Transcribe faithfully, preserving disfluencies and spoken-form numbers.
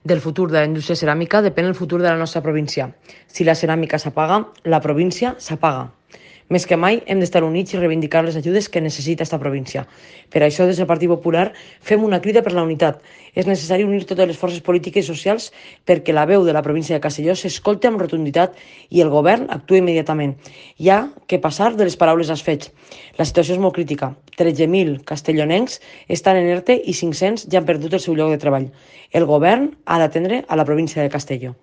Del futur de la indústria ceràmica depèn el futur de la nostra província. Si la ceràmica s'apaga, la província s'apaga. Més que mai hem d'estar units i reivindicar les ajudes que necessita esta província. Per això, des del Partit Popular, fem una crida per la unitat. És necessari unir totes les forces polítiques i socials perquè la veu de la província de Castelló s'escolti amb rotunditat i el govern actuï immediatament. Hi ha que passar de les paraules als fets. La situació és molt crítica. tretze mil castellonencs estan en ERTE i cinc-cents ja han perdut el seu lloc de treball. El govern ha d'atendre a la província de Castelló.